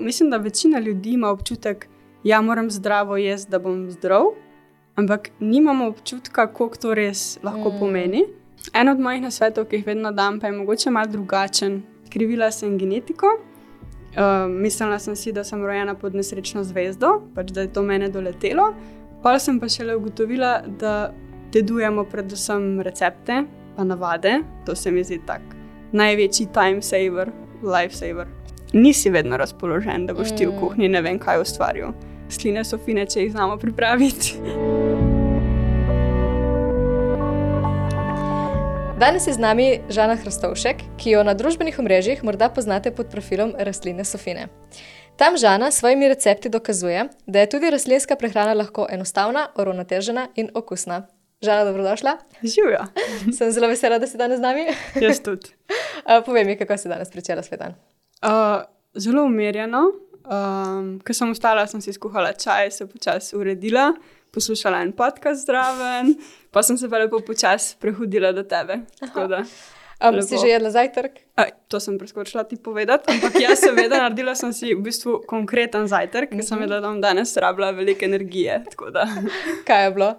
mislim, da večina ljudi ima občutek, ja, moram zdravo jesti, da bom zdrav, ampak nimamo občutka, koliko to res lahko pomeni. En od mojih nasvetov, ki jih vedno dam, pa je mogoče malo drugačen. Krivila sem genetiko. Mislila sem si, da sem rojena pod nesrečno zvezdo, pač da je to mene doletelo. Potem sem pa šele ugotovila, da dedujemo predvsem recepte pa navade. To se mi zdi tak največji time saver, life saver. Nisi vedno razpoložen, da boš ti v kuhinji ne vem kaj ustvaril. Sline so fine, če jih znamo pripraviti. Danes je z nami Žana Hrastovšek, ki jo na družbenih omrežjih morda poznate pod profilom Rastline so fine. Tam Žana s svojimi recepti dokazuje, da je tudi rastlinska prehrana lahko enostavna, uravnotežena in okusna. Žana, dobrodošla. Živjo. Sem zelo vesela, da si danes z nami. Jaz tudi. Povej mi, kako si danes pričela svoj dan. Zelo umirjeno. Ko sem vstala, sem si skuhala čaj, se počasi uredila, poslušala en podcast zraven, pa sem se pa lepo počasi prehodila do tebe. Tako da, si že jedla zajtrk? To sem preskočila ti povedati, ampak jaz seveda naredila sem si v bistvu konkreten zajtrk, ker sem vedela, da bom danes rabila veliko energije. Tako da. Kaj je bilo?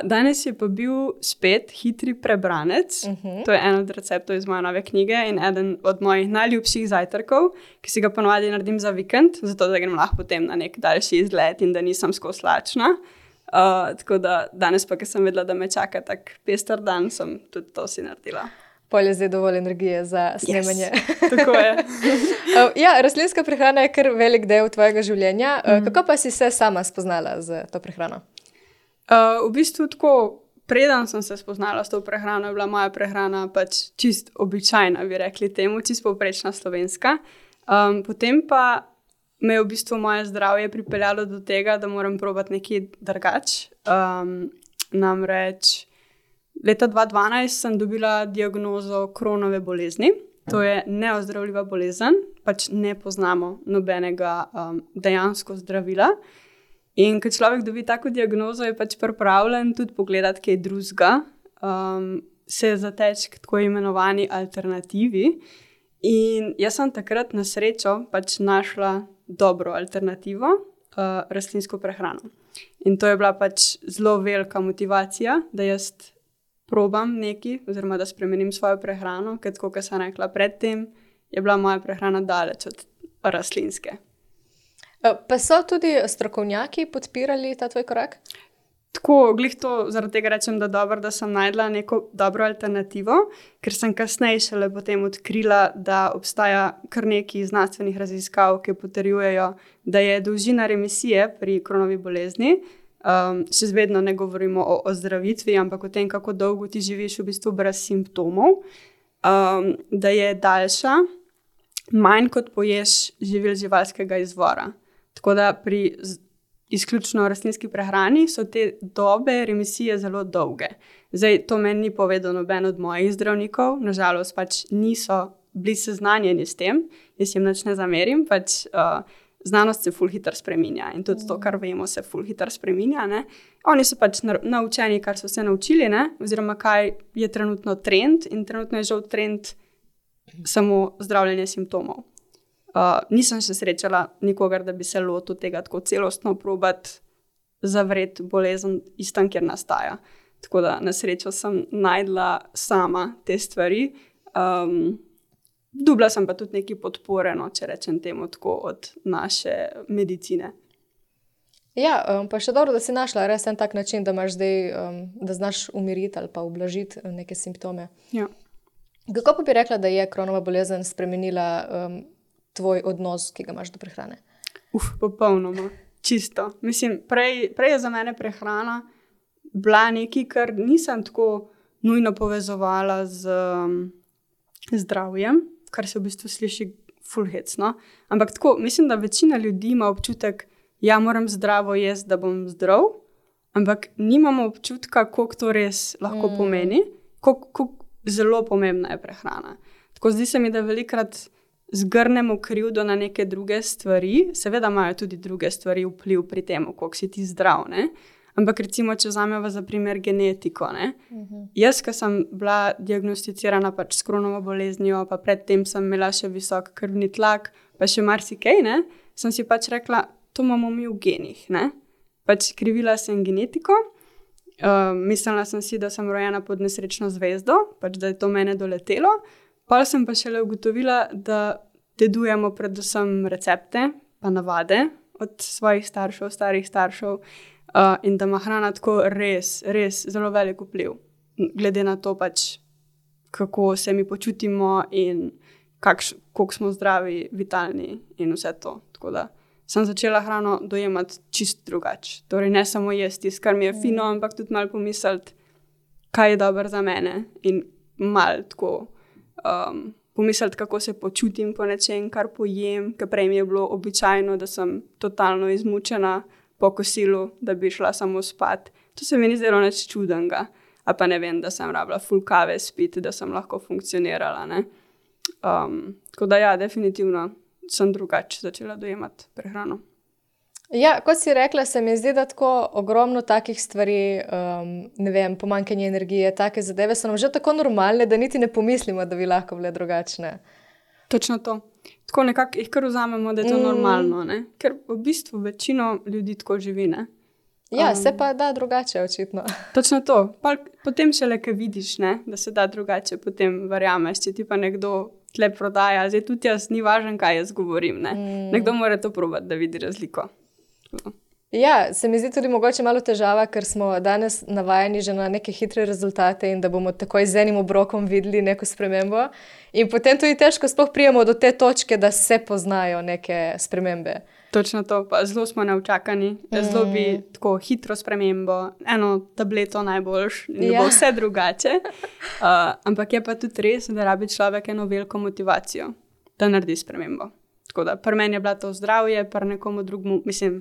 Danes je pa bil spet hitri prebranec. To je en od receptov iz moje nove knjige in eden od mojih najljubših zajtrkov, ki si ga ponovadi naredim za vikend, zato da grem lahko potem na nek daljši izlet in da nisem skozi lačna. Tako da danes pa, ker sem vedela, da me čaka tak pester dan, sem tudi to si naredila. Polje zdaj dovolj energije za snemanje. Yes, tako je. Ja, rastlinska prehrana je kar velik del tvojega življenja. Kako pa si se sama spoznala z to prehrano? V bistvu tako, preden sem se spoznala s to prehrano, je bila moja prehrana pač čist običajna, bi rekli temu, čist povprečna slovenska. Potem pa me je v bistvu moje zdravje pripeljalo do tega, da moram probati nekaj drugače. Namreč leta 2012 sem dobila diagnozo Crohnove bolezni. To je neozdravljiva bolezen, pač ne poznamo nobenega dejansko zdravila. In ko človek dobi tako diagnozo, je pač pripravljen tudi pogledati kaj drugega, se zateči k tako imenovani alternativi. In jaz sem takrat na srečo pač našla dobro alternativo, rastlinsko prehrano. In to je bila pač zelo velika motivacija, da jaz probam nekaj, oziroma da spremenim svojo prehrano, ker tako, kot sem rekla predtem, je bila moja prehrana daleč od rastlinske. Pa so tudi strokovnjaki podpirali ta tvoj korak? Tako, glih to zaradi tega rečem, da dobro, da sem najdla neko dobro alternativo, ker sem kasneje šele potem odkrila, da obstaja kar nekaj znanstvenih raziskav, ki potrjujejo, da je dolžina remisije pri Crohnovi bolezni, še vedno ne govorimo o ozdravitvi, ampak o tem, kako dolgo ti živiš v bistvu brez simptomov, da je daljša, manj kot poješ živil živalskega izvora. Tako da pri izključno rastlinski prehrani so te dobe remisije zelo dolge. Zdaj, to meni ni povedal noben od mojih zdravnikov, nažalost pač niso bili seznanjeni s tem, jaz jim nič ne zamerim, pač znanost se ful hitro spreminja in tudi to, kar vemo, se ful hitro spreminja. Ne? Oni so pač naučeni, kar so se naučili, ne? Oziroma kaj je trenutno trend in trenutno je žal trend samo zdravljenje simptomov. Nisem še srečala nikogar, da bi se lotil tega tako celostno probati zavreti bolezen istam, kjer nastaja. Tako da na srečo sem najdla sama te stvari. Dobila sem pa tudi nekaj podpore, no, če rečem temu tako, od naše medicine. Ja, pa še dobro, da si našla res en tak način, da imaš zdaj, da znaš umiriti ali pa ublažiti neke simptome. Ja. Kako pa bi rekla, da je Crohnova bolezen spremenila tvoj odnos, ki ga imaš do prehrane? Popolnoma. Čisto. Mislim, prej je za mene prehrana bila nekaj, kar nisem tako nujno povezovala z zdravjem, kar se v bistvu sliši ful hecno. Ampak tako, mislim, da večina ljudi ima občutek, ja, moram zdravo jesti, da bom zdrav, ampak nimamo občutka, koliko to res lahko pomeni, koliko zelo pomembna je prehrana. Tako zdi se mi, da velikrat zgrnemo krivdo na neke druge stvari, seveda imajo tudi druge stvari vpliv pri tem, koliko si ti zdrav, ne? Ampak recimo, če vzamemo za primer genetiko, ne? Jaz, ko sem bila diagnosticirana pač s Crohnovo boleznijo, pa predtem sem imela še visok krvni tlak, pa še marsikaj, ne, sem si pač rekla, to imamo mi v genih, ne. Pač krivila sem genetiko, mislila sem si, da sem rojena pod nesrečno zvezdo, pač da je to mene doletelo, pol sem pa šele ugotovila, da dedujemo predvsem recepte pa navade od svojih staršev, starih staršev, in da ima hrana tako res, res zelo velik vpliv, glede na to pač, kako se mi počutimo in koliko smo zdravi, vitalni in vse to. Tako da sem začela hrano dojemati čist drugače. Torej ne samo jesti, kar mi je fino, ampak tudi malo pomisliti, kaj je dobro za mene in malo tako pomisliti, kako se počutim po nečem, kar pojem, ker prej mi je bilo običajno, da sem totalno izmučena po kosilu, da bi šla samo spat. To se mi ni zdelo nič čudenega. A pa ne vem, da sem rabila ful kave spiti, da sem lahko funkcionirala, ne. Tako da ja, definitivno sem drugače začela dojemati prehrano. Ja, kot si rekla, se mi zdi, da tako ogromno takih stvari, ne vem, pomanjkanje energije, take zadeve so nam že tako normalne, da niti ne pomislimo, da bi lahko bile drugačne. Točno to. Tako nekako jih kar vzamemo, da je to normalno, ne? Ker v bistvu večino ljudi tako živi, ne? Ja, se pa da drugače, očitno. Točno to. Potem šele, ko vidiš, ne, da se da drugače, potem verjameš, če ti pa nekdo tle prodaja, zdaj tudi jaz, ni važno, kaj jaz govorim, ne. Nekdo mora to probati, da vidi razliko. Ja, se mi zdi tudi mogoče malo težava, ker smo danes navajeni že na neke hitre rezultate in da bomo takoj z enim obrokom videli neko spremembo. In potem tudi težko sploh prijemo do te točke, da se poznajo neke spremembe. Točno to, pa zelo smo neučakani. Zelo bi tako hitro spremembo, eno tableto najboljš in bo vse drugače. Ampak je pa tudi res, da rabi človek eno veliko motivacijo, da naredi spremembo. Tako da pri meni je bila to zdravje, pri nekomu drugemu, mislim,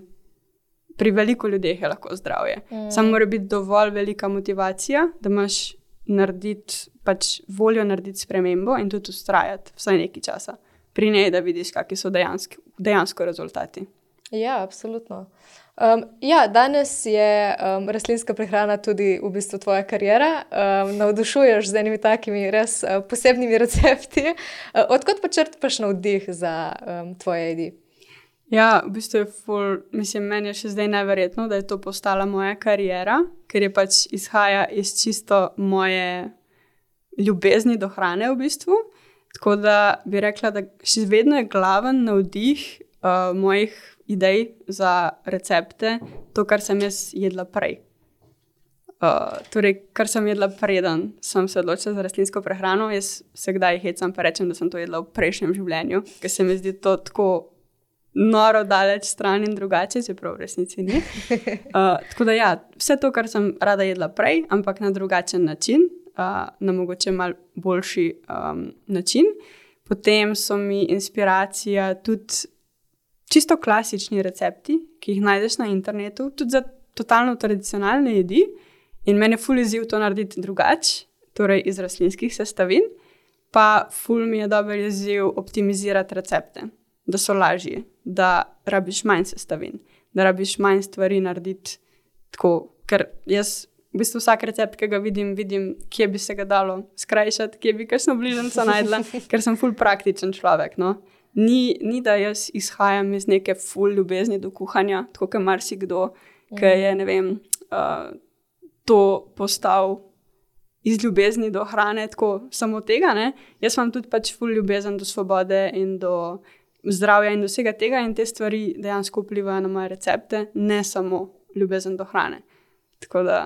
pri veliko ljudeh je lahko zdravje. Samo mora biti dovolj velika motivacija, da imaš narediti, pač voljo narediti spremembo in tudi vztrajati vsaj nekaj časa. Pri njej, da vidiš, kakšni so dejansko rezultati. Ja, absolutno. Ja, danes je rastlinska prehrana tudi v bistvu tvoja kariera. Navdušuješ z enimi takimi res posebnimi recepti. Odkot pa črpaš navdih za tvoje jedi? Ja, v bistvu je meni je še zdaj neverjetno, da je to postala moja kariera, ker je pač izhaja iz čisto moje ljubezni do hrane v bistvu. Tako da bi rekla, da še vedno je glaven navdih mojih idej za recepte, to, kar sem jaz jedla prej. Torej, kar sem jedla preden sem se odločila za rastlinsko prehrano, jaz se kdaj hecam pa rečem, da sem to jedla v prejšnjem življenju, ker se mi zdi to tako noro daleč stran in drugače, čeprav v resnici ni. Tako da ja, vse to, kar sem rada jedla prej, ampak na drugačen način, na mogoče malo boljši način. Potem so mi inspiracija tudi čisto klasični recepti, ki jih najdeš na internetu, tudi za totalno tradicionalne jedi. In meni je ful izziv to narediti drugače, torej iz rastlinskih sestavin, pa ful mi je dober izziv optimizirati recepte, da so lažji, da rabiš manj sestavin, da rabiš manj stvari narediti tako, ker jaz v bistvu vsak recept, ki ga vidim, kje bi se ga dalo skrajšati, kje bi kakšno bližnjico najdla, ker sem ful praktičen človek, no. Ni, da jaz izhajam iz neke ful ljubezni do kuhanja, tako kot marsikdo, ki je, ne vem, to postal iz ljubezni do hrane, tako samo tega, ne. Jaz imam tudi pač ful ljubezen do svobode in do zdravja in do vsega tega in te stvari dejansko vplivajo na moje recepte, ne samo ljubezen do hrane. Tako da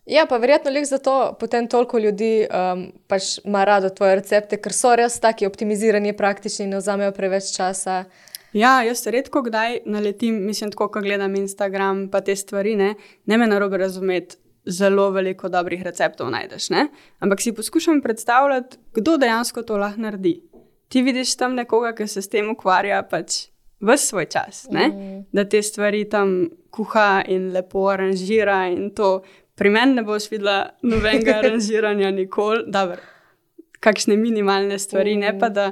ja, pa verjetno zato potem toliko ljudi pač ima rado tvoje recepte, ker so res taki optimizirani, praktični, ne vzamejo preveč časa. Ja, jaz redko kdaj naletim, mislim tako, ko gledam Instagram pa te stvari, ne me narobe razumeti, zelo veliko dobrih receptov najdeš, ne? Ampak si poskušam predstavljati, kdo dejansko to lahko naredi. Ti vidiš tam nekoga, ki se s tem ukvarja pač ves svoj čas, ne? Da te stvari tam kuha in lepo aranžira in to. Pri meni ne boš videla nobenega aranžiranja nikoli, dobro, kakšne minimalne stvari, ne pa da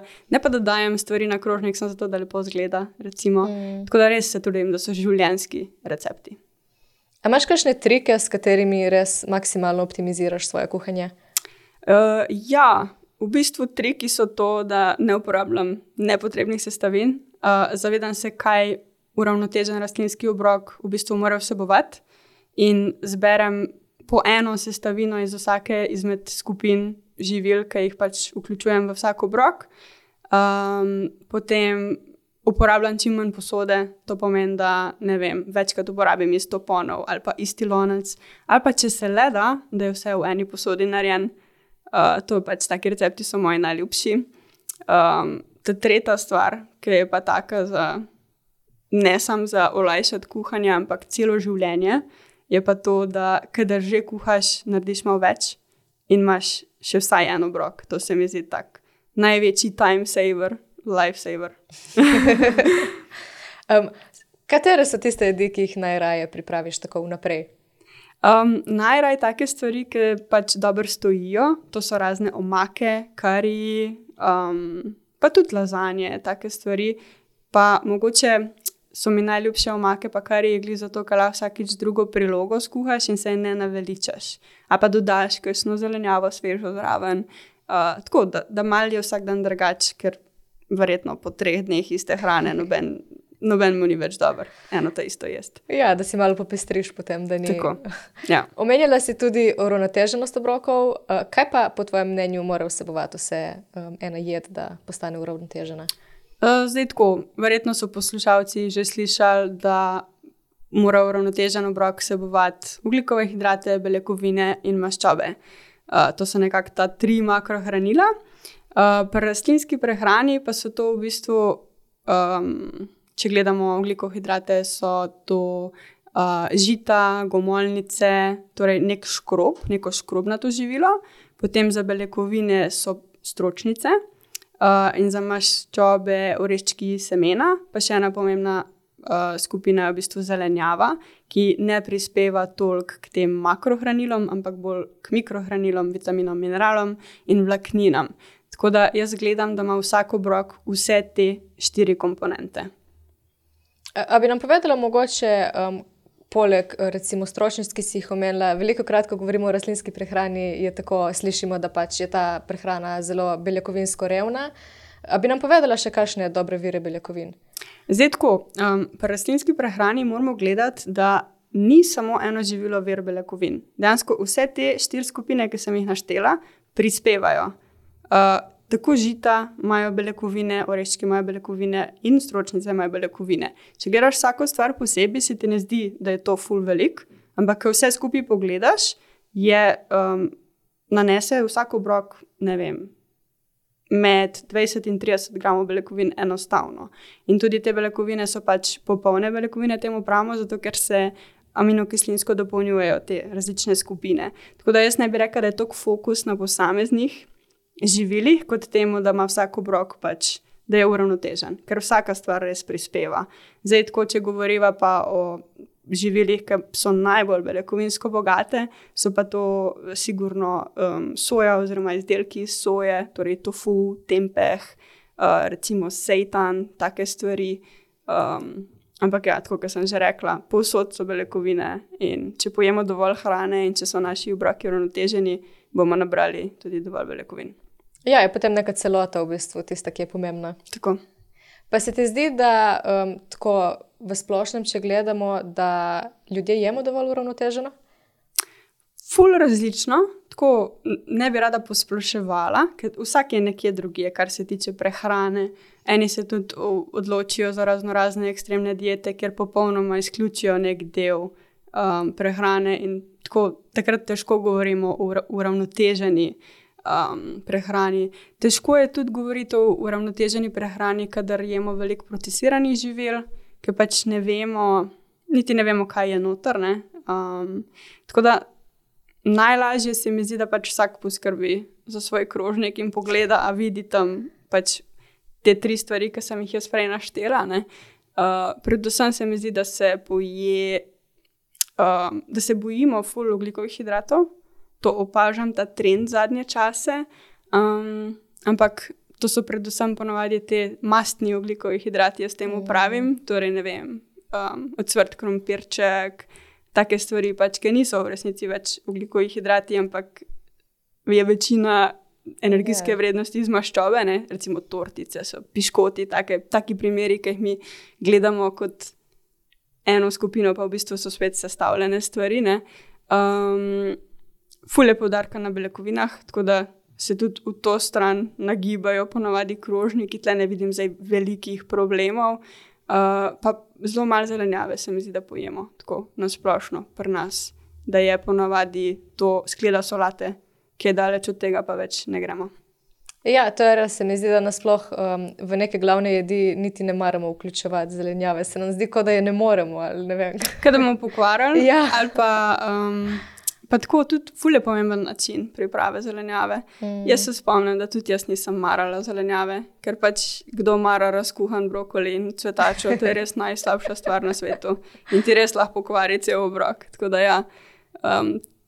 dajem stvari na krožnik, samo zato, da lepo zgleda, recimo. Tako da res se trudim, da so življenjski recepti. A imaš kakšne trike, s katerimi res maksimalno optimiziraš svoje kuhanje? Ja, v bistvu triki so to, da ne uporabljam nepotrebnih sestavin. zavedam se, kaj uravnotežen rastlinski obrok v bistvu mora vsebovati in zberem po eno sestavino iz vsake izmed skupin živil, ki jih pač vključujem v vsak obrok. Potem uporabljam čim manj posode, to pomeni, da ne vem, večkrat uporabim isto ponev ali pa isti lonec, ali pa če se le da je vse v eni posodi narejen. To pač taki recepti so moji najljubši. Ta tretja stvar, ki je pa taka ne samo za olajšati kuhanje, ampak celo življenje, je pa to, da kadar že kuhaš, narediš malo več in imaš še vsaj en obrok. To se mi zdi tak največji time saver, life saver. Katere so tiste jedi, ki jih najraje pripraviš tako vnaprej? Najraje take stvari, ki pač dobro stojijo, to so razne omake, kariji, pa tudi lazanje, take stvari. Pa mogoče so mi najljubše omake pa kariji glih zato, ker lahko vsakič drugo prilogo skuhaš in se ne naveličaš. A pa dodaš kakšno zelenjavo svežo zraven. Tako, da malo je vsak dan drugač, ker verjetno po 3 dneh iste hrane noben mu ni več dober. Eno to isto jest. Ja, da si malo popestriš potem, da ni. Tako, ja. Omenjala si tudi uravnoteženost obrokov. Kaj pa po tvojem mnenju mora vsebovati vse ena jed, da postane uravnotežena? Zdaj tako, verjetno so poslušalci že slišali, da mora uravnotežen obrok vsebovati ugljikove hidrate, beljakovine in maščobe. To so nekako ta 3 makrohranila. Pri rastlinski prehrani pa so to v bistvu, če gledamo ugljikohidrate, so to žita, gomolnice, torej neko škrobnato živilo. Potem za beljakovine so stročnice in za maščobe oreščki, semena. Pa še ena pomembna skupina je v bistvu zelenjava, ki ne prispeva toliko k tem makrohranilom, ampak bolj k mikrohranilom, vitaminom, mineralom in vlakninam. Tako da jaz gledam, da ima vsak obrok vse te 4 komponente. A bi nam povedala mogoče, poleg recimo stročnic, ki si jih omenila, velikokrat, ko govorimo o rastlinski prehrani, je tako, slišimo, da pač je ta prehrana zelo beljakovinsko revna. A bi nam povedala še kakšne dobre vire beljakovin? Zdaj tako, pri rastlinski prehrani moramo gledati, da ni samo eno živilo vir beljakovin. Dejansko vse te 4 skupine, ki sem jih naštela, prispevajo. Tako žita imajo beljakovine, oreščki imajo beljakovine in stročnice imajo beljakovine. Če gledaš vsako stvar posebej, se ti ne zdi, da je to ful velik, ampak ko vse skupaj pogledaš, nanese vsak obrok, ne vem, med 20 in 30 gramov beljakovin enostavno. In tudi te beljakovine so pač popolne beljakovine, temu pravimo, zato ker se aminokislinsko dopolnjujejo te različne skupine. Tako da jaz ne bi rekla, da je toliko fokus na posameznih živilih, kot temu, da ima vsak obrok pač, da je uravnotežen, ker vsaka stvar res prispeva. Zdaj, tako, če govoriva pa o živilih, ki so najbolj beljakovinsko bogate, so pa to sigurno soja oziroma izdelki iz soje, torej tofu, tempeh, recimo seitan, take stvari. Ampak ja, tako, kot sem že rekla, povsod so beljakovine in če pojemo dovolj hrane in če so naši obroki uravnoteženi, bomo nabrali tudi dovolj beljakovin. Ja, je potem neka celota v bistvu tista, ki je pomembna. Tako. Pa se ti zdi, da tako v splošnem, če gledamo, da ljudje jemo dovolj uravnoteženo? Ful različno, tako ne bi rada posploševala, ker vsak je nekje drugje, kar se tiče prehrane. Eni se tudi odločijo za raznorazne ekstremne diete, kjer popolnoma izključijo nek del prehrane in tako takrat težko govorimo o uravnoteženi prehrani. Težko je tudi govoriti o uravnoteženi prehrani, kadar jemo veliko procesiranih živil, ker pač niti ne vemo, kaj je noter, ne. Tako da najlažje se mi zdi, da pač vsak poskrbi za svoj krožnik in pogleda, a vidi tam pač te 3 stvari, ki sem jih jaz prej naštela, ne. Predvsem se mi zdi, da se bojimo ful ogljikovih hidratov. To opažam, ta trend zadnje čase, ampak to so predvsem ponavadi te mastni ogljikovi hidrati, jaz temu pravim, torej ne vem, ocvrt krompirček, take stvari pač, ki niso v resnici več ogljikovi hidrati, ampak je večina energijske vrednosti iz maščobe, ne? Recimo tortice, so piškoti, taki primeri, ki jih mi gledamo kot eno skupino, pa v bistvu so spet sestavljene stvari. Ful je poudarka na beljakovinah, tako da se tudi v to stran nagibajo ponavadi krožniki, tle ne vidim zdaj velikih problemov. Pa zelo malo zelenjave se mi zdi, da pojemo tako nasplošno pri nas, da je ponavadi to skleda solate, ki je daleč od tega, pa več ne gremo. Ja, to je res, se mi zdi, da nasploh v neke glavne jedi niti ne maramo vključevati zelenjave. Se nam zdi, kot da je ne moremo, ali ne vem. Kaj da bomo pokvarili, Ja. ali pa tako tudi ful je pomemben način priprave zelenjave. Jaz se spomnim, da tudi jaz nisem marala zelenjave, ker pač kdo mara razkuhan brokoli in cvetačo, to je res najslabša stvar na svetu in ti res lahko pokvari cel obrok. Tako da ja,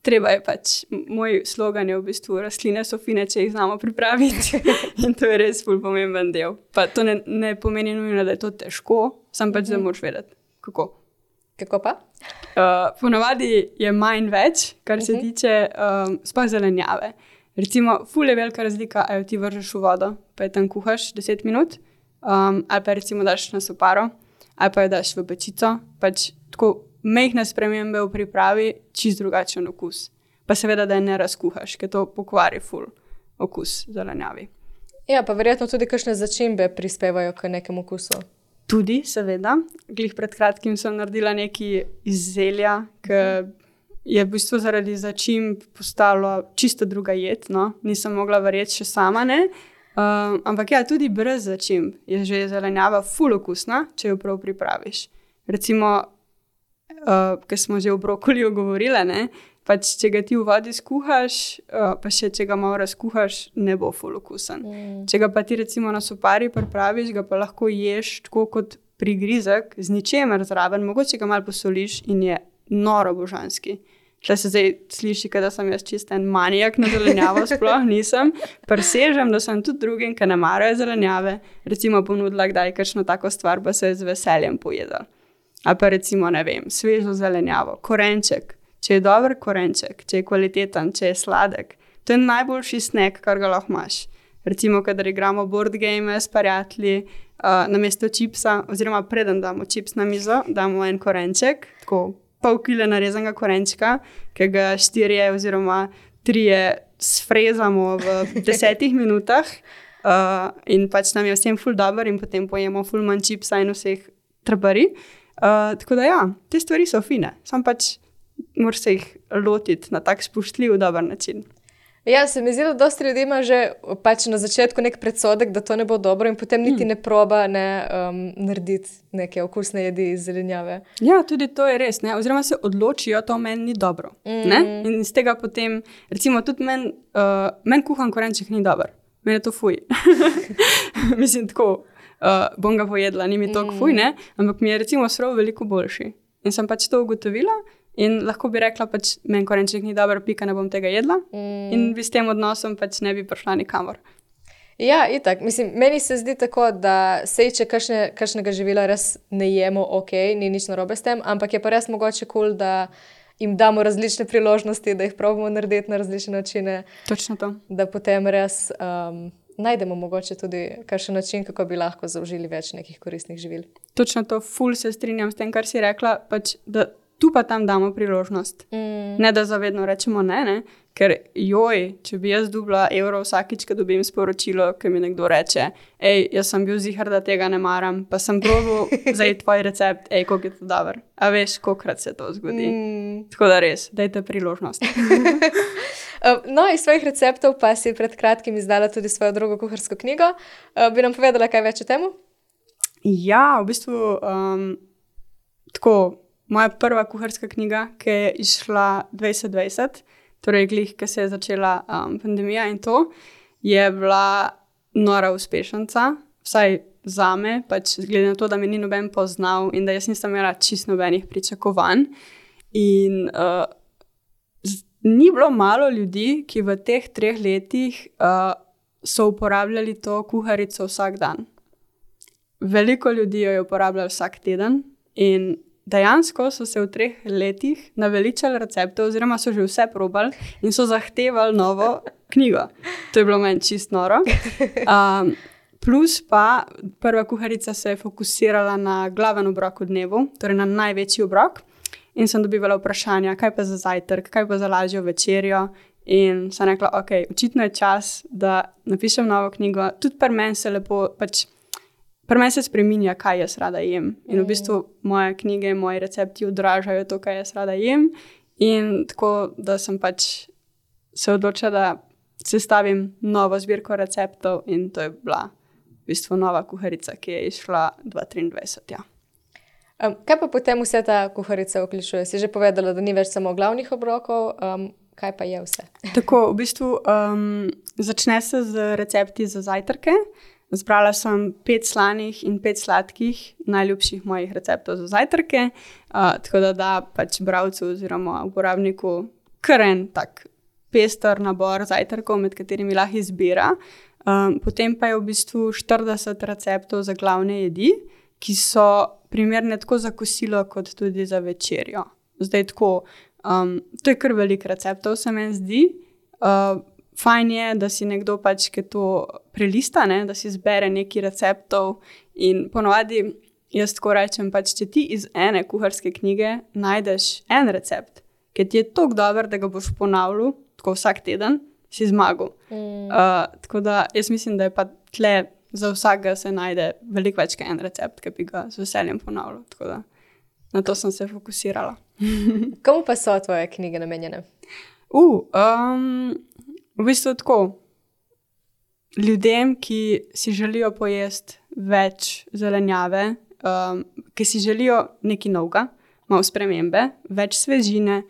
treba je pač, moj slogan je v bistvu rastline so fine, če jih znamo pripraviti in to je res ful pomemben del. Pa to ne pomeni nujno, da je to težko, sam pač da moraš vedeti, kako. Kako pa? Ponavadi je manj več, kar se tiče sploh zelenjave. Recimo, ful je velika razlika, ali ti vržeš v vodo, pa je tam kuhaš 10 minut, ali pa recimo daš na soparo, ali pa jo daš v pečico, pač tako majhne spremembe v pripravi, čist drugačen okus. Pa seveda, da je ne razkuhaš, ker to pokvari ful okus zelenjavi. Ja, pa verjetno tudi kakšne začimbe prispevajo k nekemu okusu. Tudi, seveda. Glih pred kratkim sem naredila nekaj iz zelja, ki je v bistvu zaradi začimb postalo čisto druga jed, no. Nisem mogla verjeti še sama, ne. Ampak ja, tudi brez začimb je že zelenjava ful okusna, če jo prav pripraviš. Recimo, ker smo že o brokoliju govorile, ne, pač če ga ti v vodi skuhaš, pa še če ga malo razkuhaš, ne bo ful okusen. Če ga pa ti recimo na sopari pripraviš, ga pa lahko ješ tako kot prigrizek, z ničemer zraven, mogoče ga malo posoliš in je noro božanski. Tle se zdaj sliši, da sem jaz čist en manijak na zelenjavo, sploh nisem. Presežem, da sem tudi drugim, ki ne marajo zelenjave, recimo ponudila kdaj kakšno tako stvar, pa se je z veseljem pojedla. Ali pa recimo, ne vem, svežo zelenjavo, korenček. Če je dober korenček, če je kvaliteten, če je sladek, to je najboljši snack, kar ga lahko imaš. Recimo, kadar igramo board game s prijatelji, namesto čipsa, oziroma preden damo čips na mizo, damo en korenček, tako pol kile narezanega korenčka, ki ga 4 oziroma 3 sfrezamo v 10 minutah in pač nam je vsem ful dober in potem pojemo ful manj čipsa in vseh trpari. Tako da ja, te stvari so fine, sam pač moraš se jih lotiti na tak spoštljiv, dober način. Ja, se mi zdi, da dosti ljudi ima že pač na začetku nek predsodek, da to ne bo dobro in potem niti ne proba narediti neke okusne jedi iz zelenjave. Ja, tudi to je res, ne? Oziroma se odločijo, to meni ni dobro. Ne? In iz tega potem, recimo tudi meni kuhan korenček ni dober. Meni je to fuj. Mislim, tako, bom ga pojedla, ni mi toliko fuj, ne? Ampak mi je recimo srov veliko boljši. In sem pač to ugotovila. In lahko bi rekla, pač meni korenček ni dober, pika, ne bom tega jedla. In bi s tem odnosom pač ne bi prišla nikamor. Ja, itak. Mislim, meni se zdi tako, da sej, če kakšnega živila res ne jemo, ni nič narobe s tem, ampak je pa res mogoče cool, da jim damo različne priložnosti, da jih probamo narediti na različne načine. Točno to. Da potem res najdemo mogoče tudi kakšen način, kako bi lahko zaužili več nekih koristnih živil. Točno to, ful se strinjam s tem, kar si rekla, pač da tu pa tam damo priložnost. Ne, da zavedno rečemo ne, ker če bi jaz dobila evro vsakič, ko dobim sporočilo, ki mi nekdo reče, jaz sem bil ziher, da tega ne maram, pa sem probal zdaj tvoj recept, koliko je to dober. A veš, kolikrat se to zgodi. Tako da res, dajte priložnost. No, iz svojih receptov pa si pred kratkim izdala tudi svojo drugo kuharsko knjigo. Bi nam povedala kaj več o temu? Ja, v bistvu tako, moja prva kuharska knjiga, ki je izšla 2020, torej glih, ki se je začela pandemija in to, je bila nora uspešnica, vsaj zame, pač glede na to, da me ni noben poznal in da jaz nisem imela čisto nobenih pričakovanj. In ni bilo malo ljudi, ki v teh 3 letih so uporabljali to kuharico vsak dan. Veliko ljudi jo je uporabljalo vsak teden in dejansko so se v 3 letih naveličali receptov, oziroma so že vse probali in so zahtevali novo knjigo. To je bilo meni čisto noro. Plus pa prva kuharica se je fokusirala na glaven obrok v dnevu, torej na največji obrok. In sem dobivala vprašanja, kaj pa za zajtrk, kaj pa za lažjo večerjo. In sem rekla, ok, očitno je čas, da napišem novo knjigo. Tudi pri meni se lepo, pri meni se spreminja, kaj jaz rada jem. In v bistvu moje knjige, moji recepti odražajo to, kaj jaz rada jem. In tako, da sem se odločila, da sestavim novo zbirko receptov in to je bila v bistvu nova kuharica, ki je izšla 2023, ja. Kaj pa potem vse ta kuharica vključuje? Si že povedala, da ni več samo glavnih obrokov, kaj pa je vse? Tako, v bistvu začne se z recepti za zajtrke. Zbrala sem 5 slanih in 5 sladkih najljubših mojih receptov za zajtrke, tako da bralcu oziroma uporabniku kar en tak pester nabor zajtrkov, med katerimi lahko izbira. Potem pa je v bistvu 40 receptov za glavne jedi, ki so primerne tako za kosilo, kot tudi za večerjo. Zdaj tako, to je kar veliko receptov, se meni zdi. Fajn je, da si nekdo ki to prelista, ne? Da si zbere nekaj receptov in ponovadi jaz tako rečem, če ti iz ene kuharske knjige najdeš en recept, ki ti je toliko dober, da ga boš ponavljal tako vsak teden, si zmagal. Tako da jaz mislim, da je pa tle za vsakega se najde veliko več kot en recept, ki bi ga z veseljem ponavljal. Tako da na to sem se fokusirala. Komu pa so tvoje knjige namenjene? V bistvu tako, ljudem, ki si želijo pojesti več zelenjave, ki si želijo nekaj novega, malo spremembe, več svežine,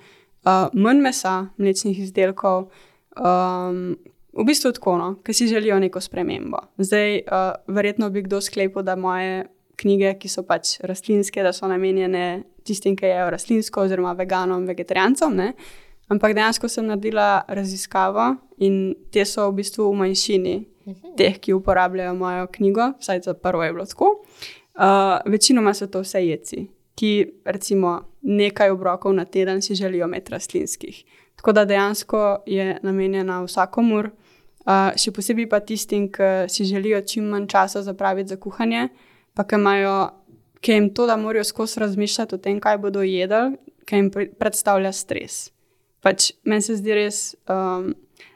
manj mesa, mlečnih izdelkov, v bistvu tako, no, ki si želijo neko spremembo. Zdaj, verjetno bi kdo sklepal, da moje knjige, ki so rastlinske, da so namenjene tistim, ki jejo rastlinsko, oziroma veganom, vegetarijancom, ne. Ampak dejansko sem naredila raziskavo in te so v bistvu v manjšini teh, ki uporabljajo mojo knjigo, vsaj za prvo je bilo tako. Večinoma so to vse jedci, ki recimo nekaj obrokov na teden si želijo imeti rastlinskih. Tako da dejansko je namenjena vsakomur, še posebej pa tistim, ki si želijo čim manj časa zapraviti za kuhanje, pa ki jim to, da morajo skozi razmišljati o tem, kaj bodo jedli, ki jim predstavlja stres. Meni se zdi res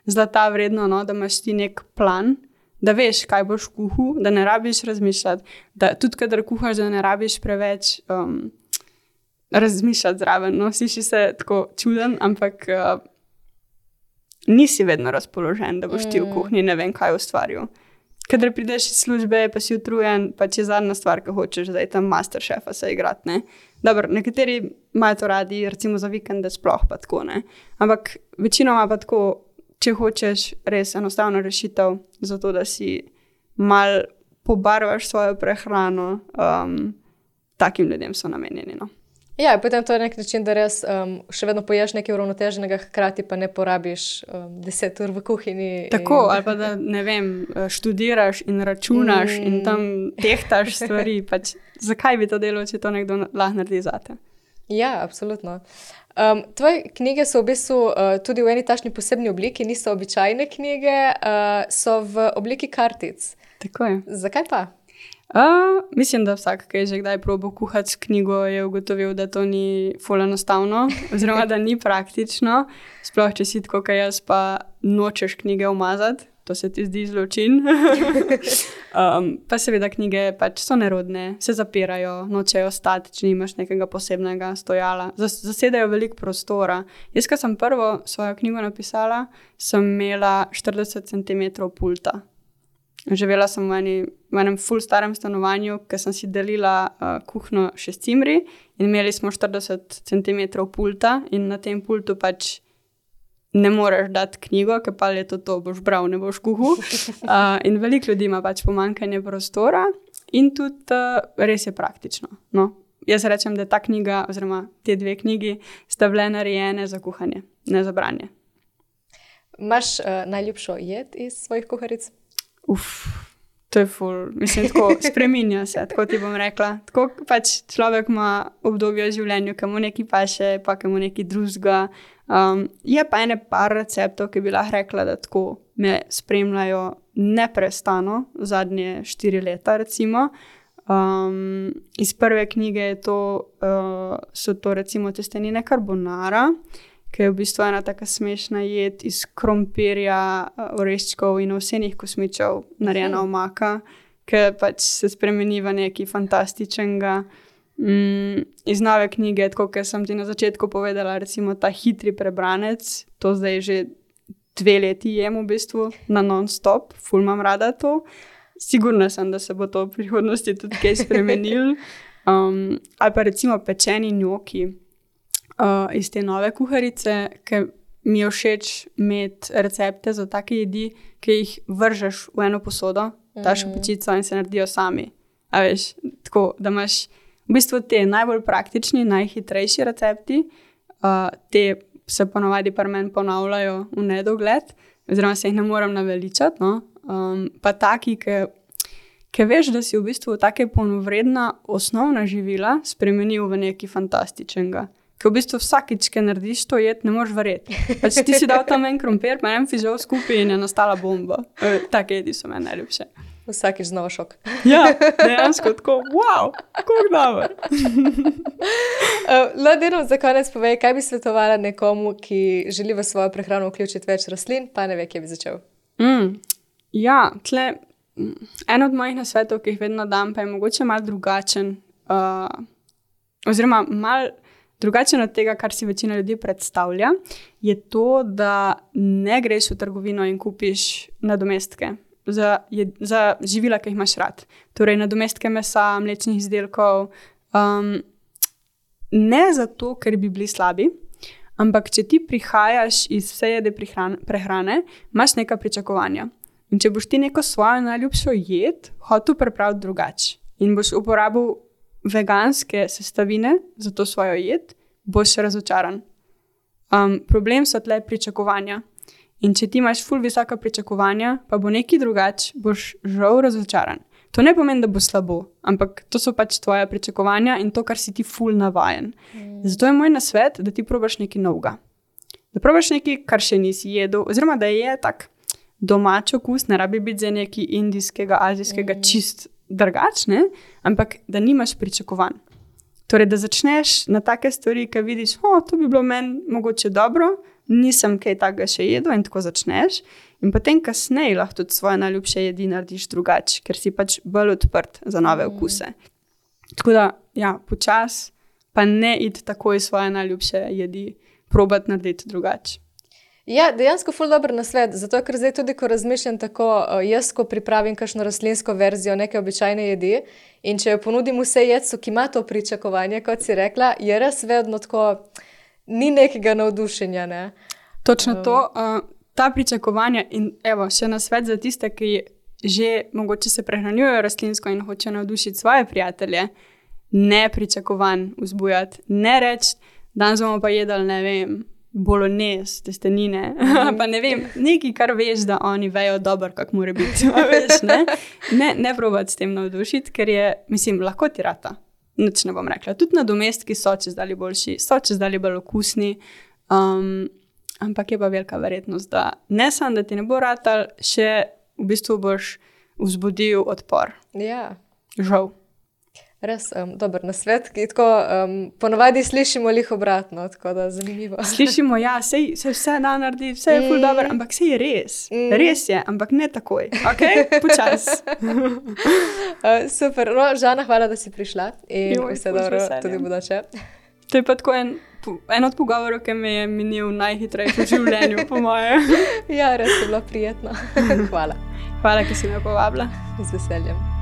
zlata vredno, no, da imaš ti nek plan, da veš, kaj boš kuhal, da ne rabiš razmišljati, da tudi kadar kuhaš, da ne rabiš preveč razmišljati zraven. No, sliši se tako čuden, ampak nisi vedno razpoložen, da boš ti v kuhinji ne vem kaj ustvaril. Kadar prideš iz službe, pa si utrujen, je zadnja stvar, ki hočeš, zdaj tam Masterchefa se igrati, ne. Dobro, nekateri imajo to radi, recimo za vikende sploh pa tako, ne. Ampak večinoma pa tako, če hočeš res enostavno rešitev, zato da si malo pobarvaš svojo prehrano, takim ljudem so namenjeni, no. Ja, potem to je nek način, da res še vedno poješ nekaj uravnoteženega, hkrati pa ne porabiš 10 ur v kuhinji. Tako, ali pa da, ne vem, študiraš in računaš in tam tehtaš stvari. Zakaj bi to delal, če to nekdo lahko naredi zate? Ja, absolutno. Tvoje knjige so v bistvu tudi v eni takšni posebni obliki, niso običajne knjige, so v obliki kartic. Tako je. Zakaj pa? Mislim, da vsak, ki je že kdaj probal kuhati s knjigo, je ugotovil, da to ni ful enostavno, oziroma da ni praktično. Sploh, če si tako, kot jaz, pa nočeš knjige umazati, to se ti zdi zločin. Pa seveda knjige so nerodne, se zapirajo, nočejo stati, če nimaš nekega posebnega stojala. Zasedajo veliko prostora. Jaz, ko sem prvo svojo knjigo napisala, sem imela 40 cm pulta. Živela sem v enem ful starem stanovanju, ker sem si delila kuhno še s cimri in imeli smo 40 cm pulta in na tem pultu ne moreš dati knjigo, ker pa je to boš bral, ne boš kuhal. In veliko ljudi ima pomanjkanje prostora in tudi res je praktično. No, jaz rečem, da ta knjiga oziroma te 2 knjigi sta bile narejene za kuhanje, ne za branje. Imaš najljubšo jed iz svojih kuharic? To je ful, mislim, tako spreminja se, tako ti bom rekla. Tako pač človek ima obdobje v življenju, ki mu nekaj paše, pa ki mu nekaj drugega. Je pa ene par receptov, ki bi lahko rekla, da tako me spremljajo neprestano zadnje 4 leta, recimo. Iz prve knjige so to recimo testenine carbonara, ki je v bistvu ena taka smešna jed iz krompirja, oreščkov in ovsenih kosmičev, narejena omaka, ki pač se spremeni v nekaj fantastičnega. Iz nove knjige, tako kot sem ti na začetku povedala, recimo ta hitri prebranec, to zdaj že 2 leti jem v bistvu na non-stop, ful imam rada to. Sigurna sem, da se bo to v prihodnosti tudi kaj spremenilo. Ali pa recimo pečeni njoki. Iz te nove kuharice, ki mi je všeč imeti recepte za take jedi, ki jih vržeš v eno posodo, daš v pečico in se naredijo sami. A veš, tako, da imaš v bistvu te najbolj praktični, najhitrejši recepti, te se ponovadi pri meni ponavljajo v nedogled, oziroma se jih ne moram naveličati, no? Pa taki, ki veš, da si v bistvu take polnovredna osnovna živila spremenil v nekaj fantastičnega. Ker v bistvu vsakič, ki narediš to jed, ne moreš verjeti. Pač ti si dal tam en krompir, pa en fižol skupaj in je nastala bomba. Take jedi so meni najljubše. Vsakič znova šok. Ja, dejansko tako, wow, kako dobro. Deno, za konec povej, kaj bi svetovala nekomu, ki želi v svojo prehrano vključiti več rastlin, pa ne ve, kje bi začel? Ja, en od mojih nasvetov, ki jih vedno dam, pa je mogoče malo drugačen, oziroma malo drugačen od tega, kar si večina ljudi predstavlja, je to, da ne greš v trgovino in kupiš nadomestke za živila, ki jih imaš rad. Torej, nadomestke mesa, mlečnih izdelkov. Ne zato, ker bi bili slabi, ampak če ti prihajaš iz vsejede prehrane, imaš neka pričakovanja. In če boš ti neko svojo najljubšo jed hotel pripraviti drugače in boš uporabil veganske sestavine za to svojo jed, boš razočaran. Problem so tle pričakovanja. In če ti imaš ful visoka pričakovanja, pa bo nekaj drugače, boš žal razočaran. To ne pomeni, da bo slabo, ampak to so pač tvoja pričakovanja in to, kar si ti ful navajen. Zato je moj nasvet, da ti probaš nekaj novega. Da probaš nekaj, kar še nisi jedel, oziroma da je tak domač okus, ne rabi biti za nekaj indijskega, azijskega čist drugačne, ampak da nimaš pričakovanj. Torej, da začneš na take stvari, ki vidiš, to bi bilo meni mogoče dobro, nisem kaj takega še jedel in tako začneš. In potem kasneje lahko tudi svoje najljubše jedi narediš drugače, ker si pač bolj odprt za nove okuse. Tako da, ja, počas, pa ne iti takoj svoje najljubše jedi, probati narediti drugače. Ja, dejansko ful dober nasvet, zato ker zdaj tudi, ko razmišljam tako, jaz, ko pripravim kakšno rastlinsko verzijo neke običajne jedi in če jo ponudim vse jedcu, ki ima to pričakovanje, kot si rekla, je res vedno tako, ni nekega navdušenja, ne? Točno to, ta pričakovanja in evo, še nasvet za tiste, ki že mogoče se prehranjujejo rastlinsko in hočejo navdušiti svoje prijatelje, ne pričakovanj vzbujati, ne reči, danes bomo pa jedli, ne vem, bolognese, testenine, pa ne vem, nekaj, kar veš, da oni vejo dobro, kako mora biti, veš, ne? Ne probati s tem navdušiti, ker je, mislim, lahko ti rata, nič ne bom rekla. Tudi nadomestki so čezdalje boljši, so čezdalje bolj okusni, ampak je pa velika verjetnost, da ne samo, da ti ne bo ratal, še v bistvu boš vzbudil odpor. Ja. Žal. Res, dober nasvet, ki tako ponovadi slišimo lih obratno, tako da zanimivo. Slišimo, ja, sej se vse da narediti, vse je ful dobro, ampak sej je res. Res je, ampak ne takoj. Ok, počas. Super, no, Žana, hvala, da si prišla in vse dobro tudi bodoče. To je pa tako en od pogovorov, ki me je minil najhitrejši v življenju, po moje. Ja, res je bilo prijetno. Hvala. Hvala, ki si me povabila. Z veseljem.